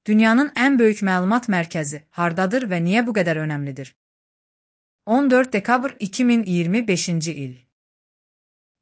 Dünyanın en büyük məlumat mərkəzi hardadır ve niye bu kadar önemlidir? 14 dekabr 2025 il.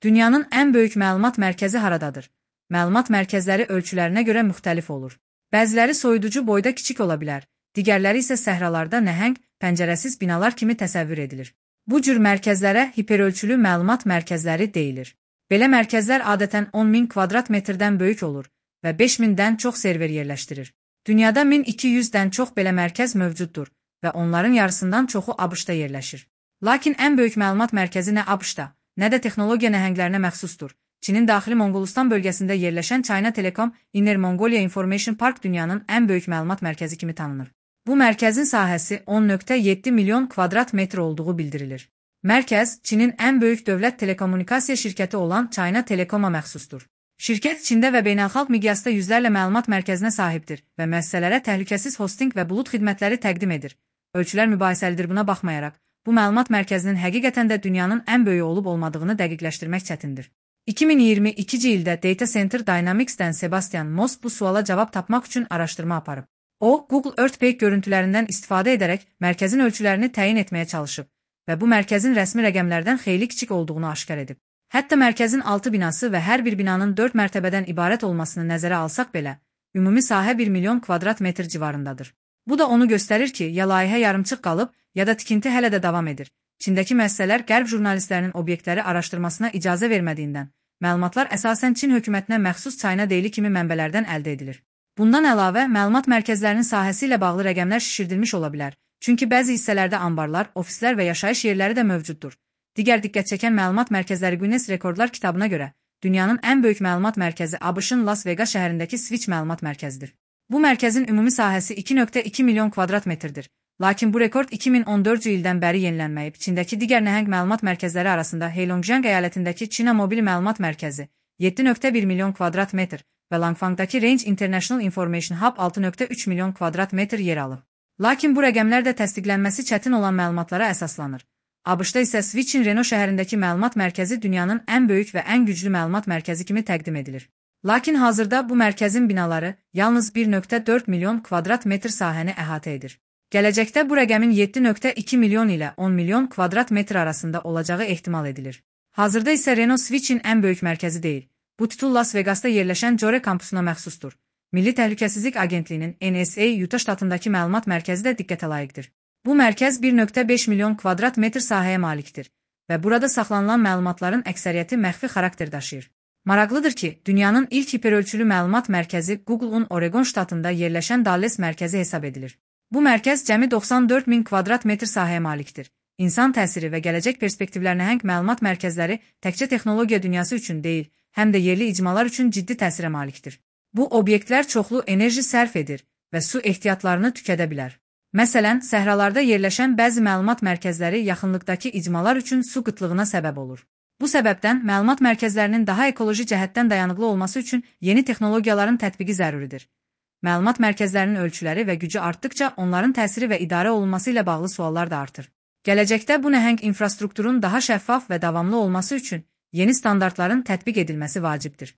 Dünyanın en büyük məlumat mərkəzi haradadır? Məlumat mərkəzləri ölçülərinə görə müxtəlif olur. Bəziləri soyuducu boyda kiçik ola bilər, digərləri isə səhralarda nəhəng, pəncərəsiz binalar kimi təsəvvür edilir. Bu cür mərkəzlərə hiperölçülü məlumat mərkəzləri deyilir. Belə mərkəzlər adətən 10.000 kvadrat metrdən böyük olur və 5.000-dən çox server yerləşdirir. Dünyada 1200-dən çox belə mərkəz mövcuddur və onların yarısından çoxu ABŞ-da yerləşir. Lakin ən böyük məlumat mərkəzi nə ABŞ-da, nə də texnologiya nəhənglərinə məxsusdur. Çinin daxili Monqolistan bölgəsində yerləşən China Telecom Inner Mongolia Information Park dünyanın ən böyük məlumat mərkəzi kimi tanınır. Bu mərkəzin sahəsi 10.7 milyon kvadrat metr olduğu bildirilir. Mərkəz, Çinin ən böyük dövlət telekommunikasiya şirkəti olan China Telecom-a məxsusdur. Şirkət Çində və beynəlxalq miqyasda yüzlərlə məlumat mərkəzinə sahibdir və müəssisələrə təhlükəsiz hosting və bulut xidmətləri təqdim edir. Ölçülər mübahisəlidir, buna baxmayaraq, bu məlumat mərkəzinin həqiqətən də dünyanın ən böyüyü olub-olmadığını dəqiqləşdirmək çətindir. 2022-ci ildə Data Center Dynamics-dən Sebastian Moss bu suala cavab tapmaq üçün araşdırma aparıb. O, Google Earthquake görüntülərindən istifadə edərək mərkəzin ölçülərini təyin etməyə çalışıb və bu mərkəzin rəsmi rəqəmlərdən xeyli kiçik olduğunu aşkar edib. Hətta mərkəzin 6 binası və hər bir binanın 4 mərtəbədən ibarət olmasını nəzərə alsaq belə, ümumi sahə 1 milyon kvadrat metr civarındadır. Bu da onu göstərir ki, ya layihə yarımçıq qalıb, ya da tikinti hələ də davam edir. Çindəki müəssisələr qərb jurnalistlərinin obyektləri araşdırmasına icazə vermədiyindən, məlumatlar əsasən Çin hökumətinə məxsus China Daily kimi mənbələrdən əldə edilir. Bundan əlavə, məlumat mərkəzlərinin sahəsi ilə bağlı rəqəmlər şişirdilmiş ola bilər, çünki bəzi hissələrdə anbarlar, ofislər və yaşayış yerləri də mövcuddur. Digər diqqət çəkən məlumat mərkəzləri Guinness Rekordlar kitabına görə, dünyanın ən böyük məlumat mərkəzi ABŞ-ın Las Vegas şəhərindəki Switch məlumat mərkəzidir. Bu mərkəzin ümumi sahəsi 2.2 milyon kvadrat metrdir. Lakin bu rekord 2014-cü ildən bəri yenilənməyib. Çindəki digər nəhəng məlumat mərkəzləri arasında Heilongjiang əyalətindəki Çina Mobil Məlumat Mərkəzi 7.1 milyon kvadrat metr və Langfangdakı Range International Information Hub 6.3 milyon kvadrat metr yer alıb. Lakin bu rəqəmlər də təsdiqlənməsi çətin olan məlumatlara əsaslanır. ABŞ-da isə Switch-in Reno şəhərindəki məlumat mərkəzi dünyanın ən böyük və ən güclü məlumat mərkəzi kimi təqdim edilir. Lakin hazırda bu mərkəzin binaları yalnız 1.4 milyon kvadrat metr sahəni əhatə edir. Gələcəkdə bu rəqəmin 7.2 milyon ilə 10 milyon kvadrat metr arasında olacağı ehtimal edilir. Hazırda isə Reno Switch-in ən böyük mərkəzi deyil. Bu titul Las Vegasda yerləşən Jore kampusuna məxsusdur. Milli Təhlükəsizlik Agentliyinin NSA Utah ştatındakı məlumat mərkəzi də diqqətə layiqdir. Bu mərkəz 1.5 milyon kvadrat metr sahəyə malikdir və burada saxlanılan məlumatların əksəriyyəti məxfi xarakter daşıyır. Maraqlıdır ki, dünyanın ilk hiperölçülü məlumat mərkəzi Google-un Oregon ştatında yerləşən Dallas mərkəzi hesab edilir. Bu mərkəz cəmi 94 min kvadrat metr sahəyə malikdir. İnsan təsiri və gələcək perspektivlər nəhəng məlumat mərkəzləri təkcə texnologiya dünyası üçün deyil, həm də yerli icmalar üçün ciddi təsirə malikdir. Bu obyektlər çoxlu enerji sərf edir və su ehtiyatlarını tükədə bilər. Məsələn, səhralarda yerləşən bəzi məlumat mərkəzləri yaxınlıqdakı icmalar üçün su qıtlığına səbəb olur. Bu səbəbdən məlumat mərkəzlərinin daha ekoloji cəhətdən dayanıqlı olması üçün yeni texnologiyaların tətbiqi zəruridir. Məlumat mərkəzlərinin ölçüləri və gücü artdıkca onların təsiri və idarə olunması ilə bağlı suallar da artır. Gələcəkdə bu nəhəng infrastrukturun daha şəffaf və davamlı olması üçün yeni standartların tətbiq edilməsi vacibdir.